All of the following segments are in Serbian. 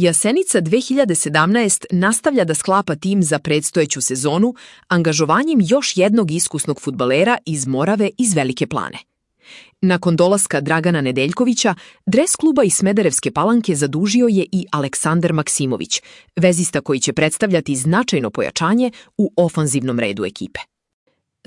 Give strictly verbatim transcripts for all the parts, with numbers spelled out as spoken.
Jasenica dve hiljade sedamnaest nastavlja da sklapa tim za predstojeću sezonu angažovanjem još jednog iskusnog fudbalera iz Morave iz Velike Plane. Nakon dolaska Dragana Nedeljkovića, dres kluba iz Smederevske Palanke zadužio je i Aleksandar Maksimović, vezista koji će predstavljati značajno pojačanje u ofanzivnom redu ekipe.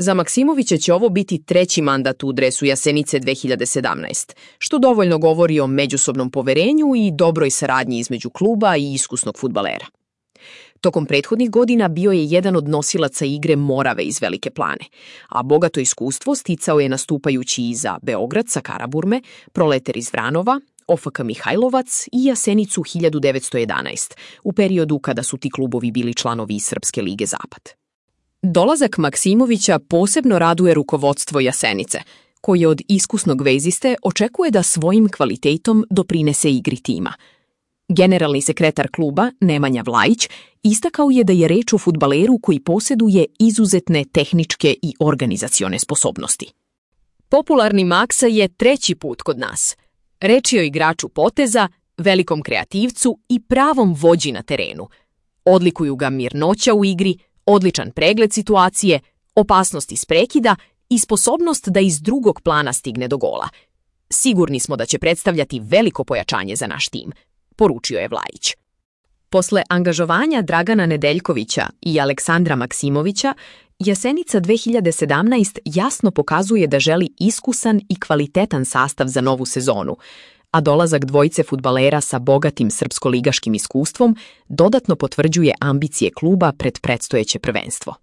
Za Maksimovića će ovo biti treći mandat u dresu Jasenice dve hiljade sedamnaest, što dovoljno govori o međusobnom poverenju i dobroj saradnji između kluba i iskusnog fudbalera. Tokom prethodnih godina bio je jedan od nosilaca igre Morave iz Velike Plane, a bogato iskustvo sticao je nastupajući i za Beograd sa Karaburme, Proleter iz Vranova, O F K Mihajlovac i Jasenicu hiljadu devetsto jedanaest, u periodu kada su ti klubovi bili članovi Srpske lige Zapad. Dolazak Maksimovića posebno raduje rukovodstvo Jasenice, koje od iskusnog veziste očekuje da svojim kvalitetom doprinese igri tima. Generalni sekretar kluba, Nemanja Vlajić, istakao je da je reč o fudbaleru koji posjeduje izuzetne tehničke i organizacione sposobnosti. Popularni Maksa je treći put kod nas. Reč je o igraču poteza, velikom kreativcu i pravom vođi na terenu. Odlikuju ga mirnoća u igri, odličan pregled situacije, opasnost iz prekida i sposobnost da iz drugog plana stigne do gola. Sigurni smo da će predstavljati veliko pojačanje za naš tim, poručio je Vlajić. Posle angažovanja Dragana Nedeljkovića i Aleksandra Maksimovića, Jasenica dve hiljade sedamnaest jasno pokazuje da želi iskusan i kvalitetan sastav za novu sezonu, a dolazak dvojice fudbalera sa bogatim srpsko-ligaškim iskustvom dodatno potvrđuje ambicije kluba pred predstojeće prvenstvo.